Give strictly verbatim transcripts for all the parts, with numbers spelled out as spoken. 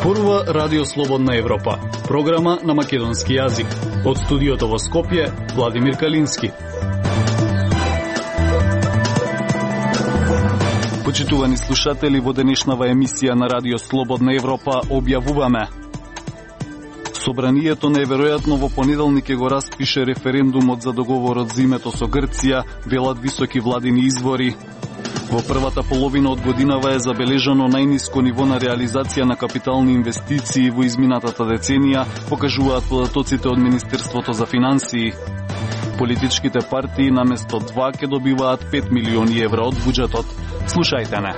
Зборува Радио Слободна Европа, програма на македонски јазик. Од студиото во Скопје, Владимир Калински. Почитувани слушатели, во денешнава емисија на Радио Слободна Европа објавуваме: Собранието неверојатно во понеделник ќе го распише референдумот за договорот за името со Грција, велат високи владини извори. Во првата половина од годинава е забележано најниско ниво на реализација на капитални инвестиции во изминатата деценија, покажуваат податоците од Министерството за финансии. Политичките партии наместо два ќе добиваат пет милиони евра од буџетот. Слушајте не.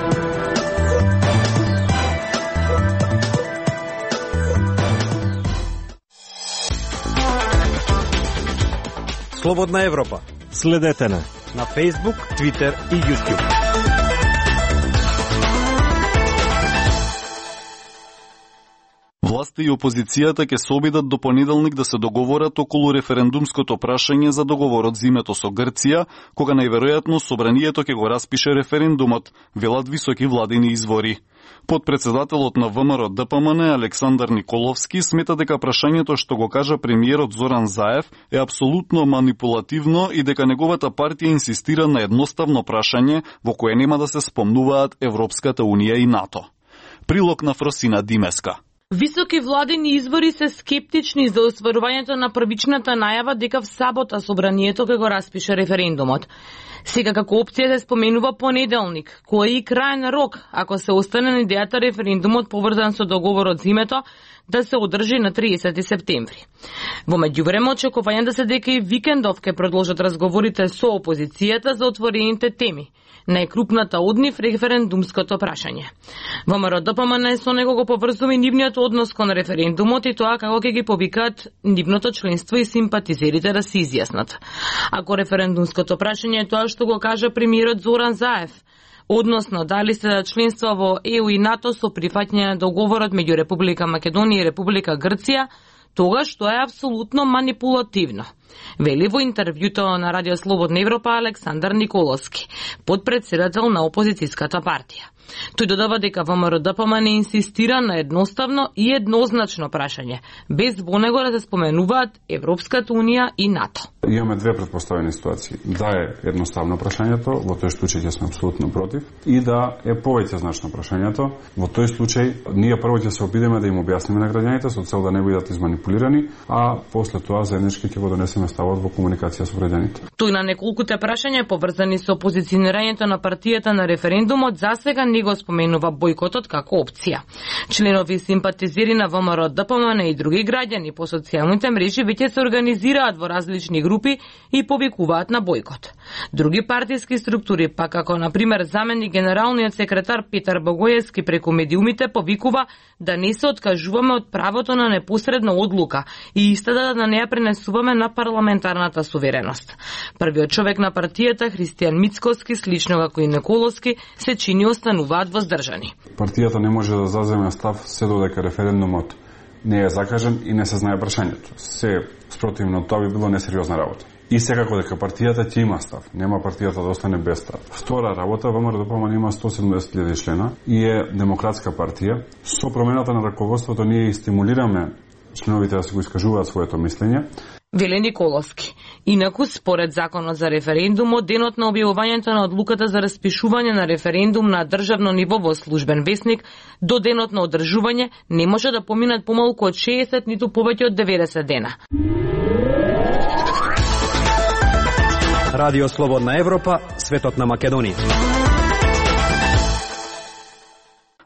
Слободна Европа. Следете на на Facebook, Twitter и YouTube. Власта и опозицијата ќе се обидат до понеделник да се договорат околу референдумското прашање за договорот за името со Грција, кога најверојатно собранието ќе го распише референдумот, велат високи владини извори. Подпредседателот на ВМРО Д П М Н Александар Николовски смета дека прашањето што го кажа премиерот Зоран Заев е апсолутно манипулативно и дека неговата партија инсистира на едноставно прашање во кое нема да се спомнуваат Европската Унија и НАТО. Прилог на Фросина Димеска. Високи владини извори се скептични за остварувањето на првичната најава дека в сабота собранието ќе го распише референдумот. Сега како опција се споменува понеделник, кој е и крајен рок ако се остане на идејата референдумот поврзан со договорот за името да се одржи на триесети септември. Во меѓувреме очекување да се дека и викендов ќе продолжат разговорите со опозицијата за отворените теми. Најкрупната од нив референдумското прашање. ВМРО Д П М Н со него го поврзува и нивниот однос кон референдумот и тоа како ќе ги повикаат нивното членство и симпатизерите да се изјаснат. Ако референдумското прашање е тоа што го кажа премиерот Зоран Заев, односно дали се да членство во Е У и НАТО со прифаќање на договорот меѓу Република Македонија и Република Грција, тогаш тоа е апсолутно манипулативно, вели во интервјуто на Радио Слободна Европа Александар Николовски, подпредседател на опозицијската партија. Тој додава дека ВМРО Д П М Н инсистира на едноставно и еднозначно прашање, без во него да се споменуваат Европската Унија и НАТО. Имаме две претпоставени ситуации. Да е едноставно прашањето, во тој случај ќе сме апсолутно против, и да е повеќе значно прашањето. Во тој случај ние прво ќе се обидеме да им објасниме на граѓаните со цел да не бидат изманипулирани, а после тоа заеднички ќе го донесеме ставот во комуникација со граѓаните. Тој на неколкуте прашања поврзани со позиционирањето на партијата на референдумот засега не го споменува бојкотот како опција. Членови и симпатизери на ВМРО Д П М Н и други граѓани по социјалните мрежи веќе се организираат во различни групи и повикуваат на бојкот. Други партиски структури, па како на пример заменик генералниот секретар Петар Богоевски преку медиумите повикува да не се откажуваме од правото на непосредна одлука и истата да не ја пренесуваме на парламентарната сувереност. Првиот човек на партијата, Христијан Мицкоски, слично како и Николовски, се чини остануваат воздржани. Партијата не може да заземе став се додека референдумот не е закажен и не се знае прашањето. Се спротивно тоа би било несериозна работа. И секако дека партијата ќе има став, нема партијата да остане без став. Втора работа, ВМРО Д П М Н има сто седумдесет илјади члена и е демократска партија. Со промената на раководството ние и стимулираме членовите да се го искажуваат своето мислење. Веле Николовски. Инаку, според законот за референдумот, денот на објавувањето на одлуката за распишување на референдум на државно ниво во службен весник до денот на одржување не може да поминат помалку од шеесет ниту повеќе од деветдесет дена. Радио Слободна Европа, светот на Македонија.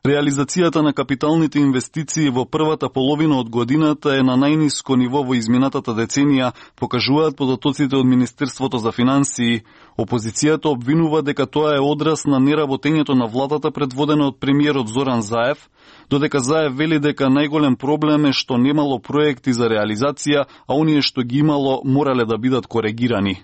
Реализацијата на капиталните инвестиции во првата половина од годината е на најниско ниво во изминатата деценија, покажуваат податоците од Министерството за финансии. Опозицијата обвинува дека тоа е одраз на неработењето на владата предводена од премиерот Зоран Заев, додека Заев вели дека најголем проблем е што немало проекти за реализација, а оние што ги имало морале да бидат коригирани.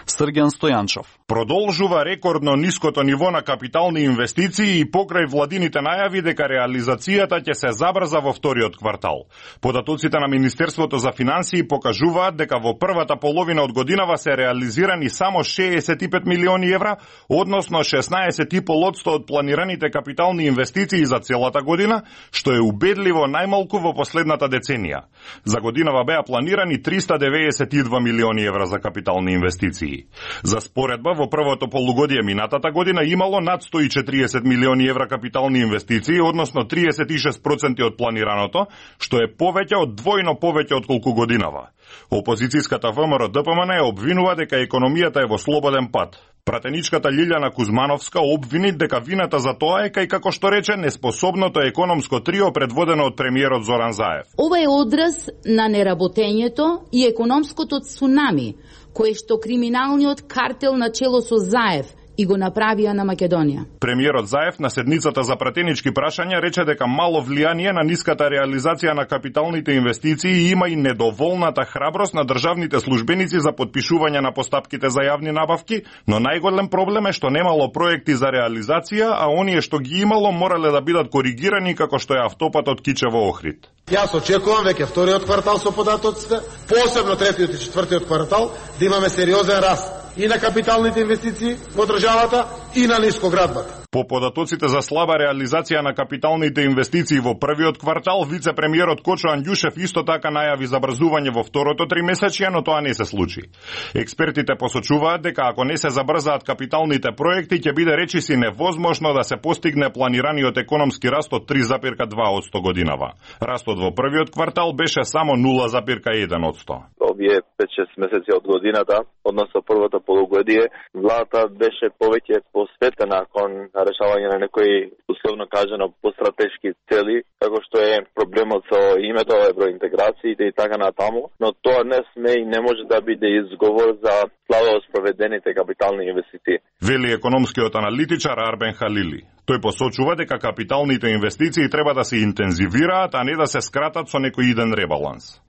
Срѓан Стојанчов. Продолжува рекордно ниското ниво на капитални инвестиции и покрај владините најави дека реализацијата ќе се забрза во вториот квартал. Податоците на Министерството за финансии покажуваат дека во првата половина од годинава се реализирани само шеесет и пет милиони евра, односно шеснаесет и пет одсто од планираните капитални инвестиции за целата година, што е убедливо најмалку во последната деценија. За годинава беа планирани триста деведесет и два милиони евра за капитални инвестиции. За споредба, во првото полугодие минатата година имало над сто и четириесет милиони евра капитални инвестиции, односно триесет и шест проценти од планираното, што е повеќе од двојно повеќе од колку годинава. Опозицијската ВМРО-ДПМН ја обвинува дека економијата е во слободен пат. Пратеничката Лилјана Кузмановска обвини дека вината за тоа е кај, како што рече, неспособното економско трио предводено од премиерот Зоран Заев. Ова е одраз на неработењето и економското цунами, кое што криминалниот картел на чело со Заев и го направија на Македонија. Премиерот Заев на седницата за пратенички прашања рече дека мало влијание на ниската реализација на капиталните инвестиции има и недоволната храброст на државните службеници за подпишување на постапките за јавни набавки, но најголем проблем е што немало проекти за реализација, а оние што ги имало морале да бидат коригирани како што е автопатот Кичево Охрид. Јас очекувам веќе вториот квартал со податоците, посебно третиот и четвртиот квартал, да имаме сериозен раст и на капиталните инвестиции во државата и на нискоградбата. По податоците за слаба реализација на капиталните инвестиции во првиот квартал, вице-премиерот Кочо Андјушев исто така најави забрзување во второто тримесечје, но тоа не се случи. Експертите посочуваат дека ако не се забрзаат капиталните проекти, ќе биде речиси невозможно да се постигне планираниот економски раст од три запирка два одсто годинава. Растот во првиот квартал беше само нула запирка еден одсто. Овие пет-шест месеци од годината, односно првото полугодие, владата беше повеќе посветена кон решавање на некои, условно кажано, постратешки цели, како што е проблемот со името, евроинтеграциите и така натаму, но тоа не сме и не може да биде изговор за слабо спроведените капитални инвестиции. Вели економскиот аналитичар Арбен Халили. Тој посочува дека капиталните инвестиции треба да се интензивираат, а не да се скратат со некој иден ребаланс.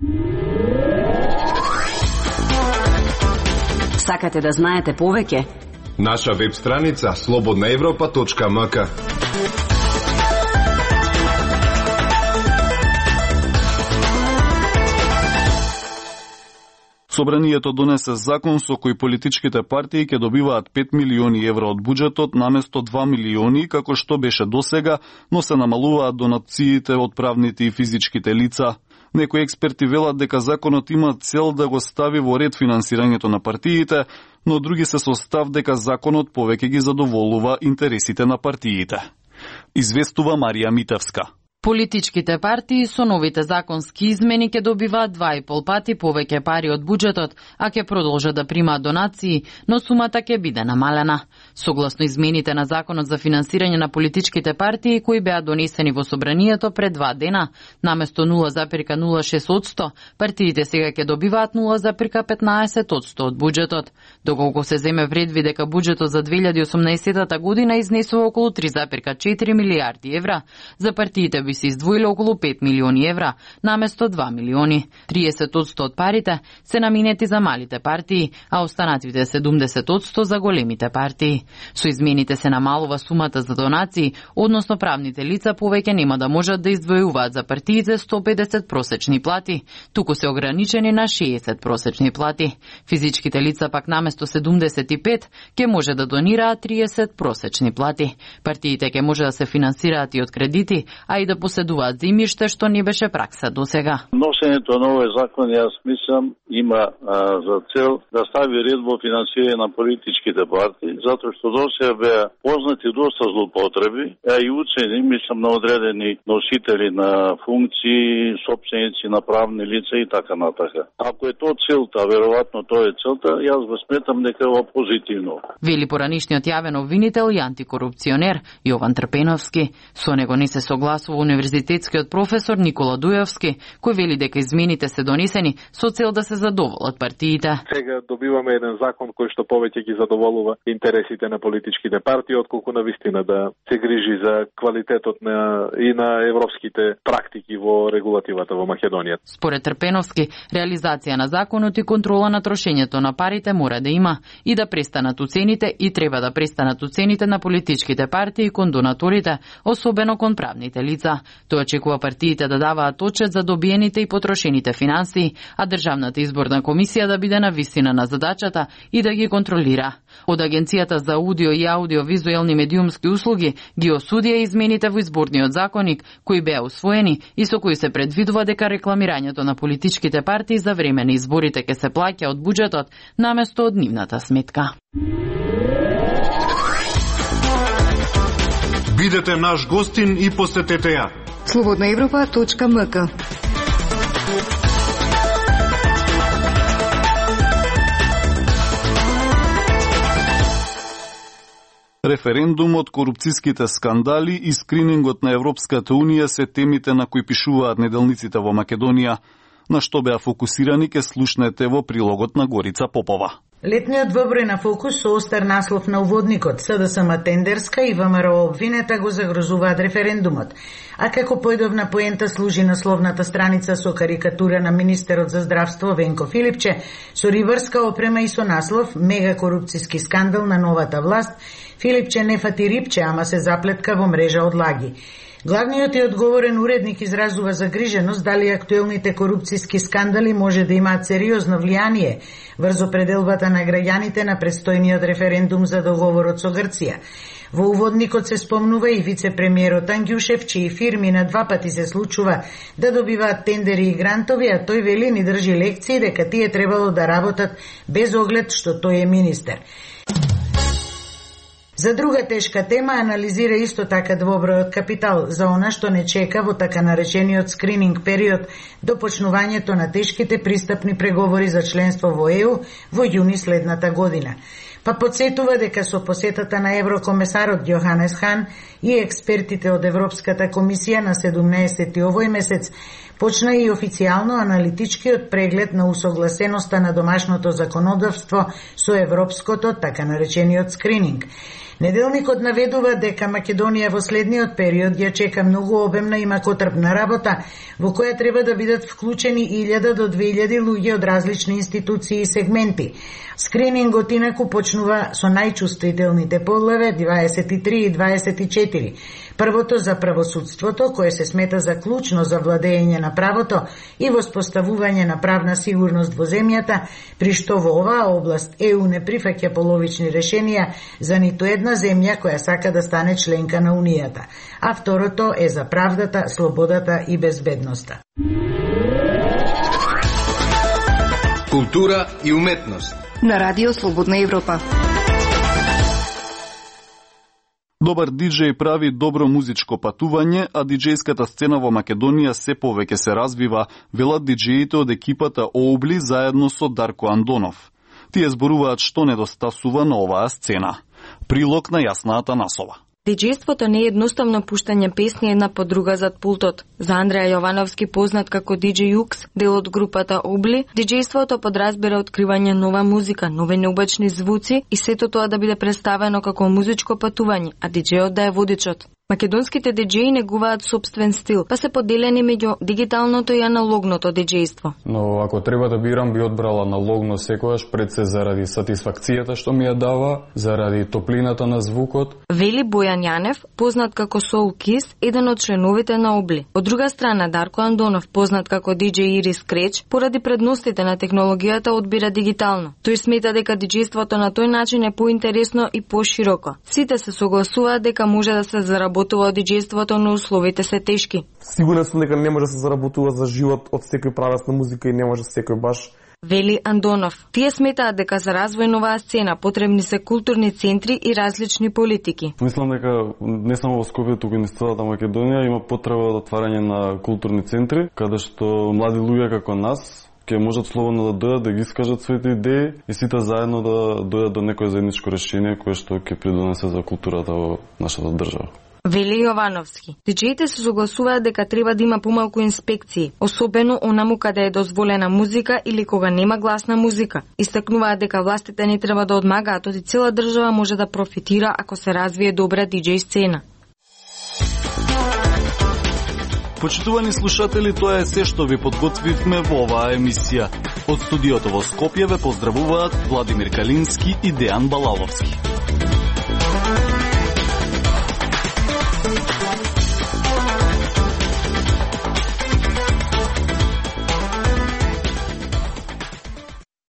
Сакате да знаете повеќе? Наша веб страница слободна европа точка ем ка. Собранието донесе закон со кој политичките партии ќе добиваат пет милиони евра од буџетот наместо два милиони, како што беше досега, но се намалуваат донациите од правните и физичките лица. Некои експерти велат дека законот има цел да го стави во ред финансирањето на партиите, но други се со став дека законот повеќе ги задоволува интересите на партиите. Известува Марија Митевска. Политичките партии со новите законски измени ќе добиваат два и пол пати повеќе пари од буџетот, а ќе продолжат да примаат донации, но сумата ќе биде намалена. Согласно измените на Законот за финансирање на политичките партии кои беа донесени во собранието пред два дена, наместо нула запирка нула шест одсто, партиите сега ќе добиваат нула запирка петнаесет одсто од буџетот. Доколку се земе предвид дека буџетот за две илјади и осумнаесетта година изнесува околу три запирка четири милијарди евра, за партиите би се издвоиле околу пет милиони евра, наместо два милиони. триесет одсто од парите се наминети за малите партии, а останатите седумдесет одсто за големите партии. Со измените се намалува сумата за донации, односно правните лица повеќе нема да можат да издвојуваат за партиите сто педесет просечни плати, туку се ограничени на шеесет просечни плати. Физичките лица пак наместо седумдесет и пет ќе може да донираат триесет просечни плати. Партиите ќе може да се финансираат и од кредити, а и да поседуваат земјиште, што не беше пракса досега. Носењето на овој закон, јас мислам, има а, за цел да стави ред во финансирање на политичките партии, затоа што досега беа познати доста злоупотреби, а и уцени, мислам, на одредени носители на функции, собственици на правни лица и така натака. Ако е тоа целта, веројатно тоа е целта, јас го сметам дека е позитивно. Вели поранишниот јавен обвинител и антикорупционер Јован Трпеновски. Со него не се согласува универзитетскиот професор Никола Дујовски, кој вели дека измените се донесени со цел да се задоволат партиите. Сега добиваме еден закон кој што повеќе ги задоволува интересите на политичките партии, отколку на вистина да се грижи за квалитетот на и на европските практики во регулативата во Македонија. Според Трпеновски, реализација на законот и контрола на трошењето на парите мора да има и да престанат уцените и треба да престанат уцените на политичките партии кон донаторите, особено кон правните лица. Тој очекува партиите да даваат отчет за добиените и потрошените финансии, а Државната изборна комисија да биде на висина на задачата и да ги контролира. Од Агенцијата за аудио и аудиовизуелни медиумски услуги ги осудија измените во изборниот законник, кои беа усвоени и со кои се предвидува дека рекламирањето на политичките партии за време на изборите ќе се плаќа од буџетот наместо од нивната сметка. Бидете наш гостин и посетете ја. слободна европа точка ем ка. Референдумот, корупцијските скандали и скринингот на Европската Унија се темите на кои пишуваат неделниците во Македонија, на што беа фокусирани ке слушнете во прилогот на Горица Попова. Летниот двоброј на Фокус со остар наслов на уводникот СДСМ Тендерска и ВМРО обвинета го загрозуваат референдумот. А како појдовна поента служи насловната страница со карикатура на министерот за здравство Венко Филипче со рибарска опрема и со наслов Мега корупцијски скандал на новата власт. Филипче не фати рибче, ама се заплетка во мрежа од лаги. Главниот и одговорен уредник изразува загриженост дали актуелните корупцијски скандали може да имаат сериозно влијание врз определбата на граѓаните на престојниот референдум за договорот со Грција. Во уводникот се спомнува и вице-премиерот Ангјушев, чии фирми на два пати се случува да добиваат тендери и грантови, а тој вели ни држи лекции дека тие требало да работат без оглед што тој е министер. За друга тешка тема анализира исто така двобројот Капитал за она што не чека во така наречениот скрининг период до почнувањето на тешките пристапни преговори за членство во Е У во јуни следната година. Па подсетува дека со посетата на еврокомесарот Јоханес Хан и експертите од Европската комисија на седумнаесети овој месец почна и официјално аналитичкиот преглед на усогласеноста на домашното законодавство со европското, така наречениот скрининг. Неделникот наведува дека Македонија во следниот период ја чека многу обемна и макотрпна работа, во која треба да бидат вклучени илјада до две илјади луѓе од различни институции и сегменти. Скринингот инаку почнува со најчувствителните поглави дваесет и три и дваесет и четири. Првото за правосудството, кое се смета за клучно за владење на правото и воспоставување на правна сигурност во земјата, при што во оваа област Е У не прифаќа половични решенија за ниту една земја која сака да стане членка на Унијата. А второто е за правдата, слободата и безбедноста. Култура и уметност на Радио Слободна Европа. Добар диџеј прави добро музичко патување, а диџејската сцена во Македонија се повеќе се развива, велат диџеите од екипата Оубли заедно со Дарко Андонов. Тие зборуваат што недостасува на оваа сцена. Прилог на Јасна Атанасова. Диџејството не е едноставно пуштање песни една по друга зад пултот. За Андреја Јовановски, познат како диџеј Юкс, дел од групата Обли, диџејството подразбира откривање нова музика, нови необични звуци и сето тоа да биде представено како музичко патување, а диџејот да е водичот. Македонските диџеи негуваат собствен стил, па се поделени меѓу дигиталното и аналогното диџејство. Но ако треба да бирам, би одбрала аналогно секојаш, пред се заради сатисфакцијата што ми ја дава, заради топлината на звукот. Вели Бојан Јанев, познат како Soul Kiss, еден од членовите на Обли. Од друга страна, Дарко Андонов, познат како диџеј Ирис Креч, поради предностите на технологијата одбира дигитално. Тој смета дека диџејството на тој начин е поинтересно и пошироко. Сите се согласуваат дека може да се заработува од диџејството, но условите се тешки. Сигурен сум дека не може да се заработува за живот од секој правец на музика и не може секој баш. Вели Андонов. Тие сметаат дека за развој на оваа сцена потребни се културни центри и различни политики. Мислам дека не само во Скопје, туку и на целата Македонија има потреба од отварање на културни центри, каде што млади луѓе како нас ќе можат слободно да дојдат да ги искажат своите идеи и сите заедно да дојдат до некое заедничко решение кое што ќе придонесе за културата во нашата држава. Вели Јовановски. Диџеите се согласуваат дека треба да има помалку инспекции, особено онаму каде е дозволена музика или кога нема гласна музика. Истакнуваат дека властите не треба да одмагаат, оти цела држава може да профитира ако се развие добра диџеј сцена. Почитувани слушатели, тоа е се што ви подготвивме во оваа емисија. Од студиото во Скопје ве поздравуваат Владимир Калински и Дејан Балаловски.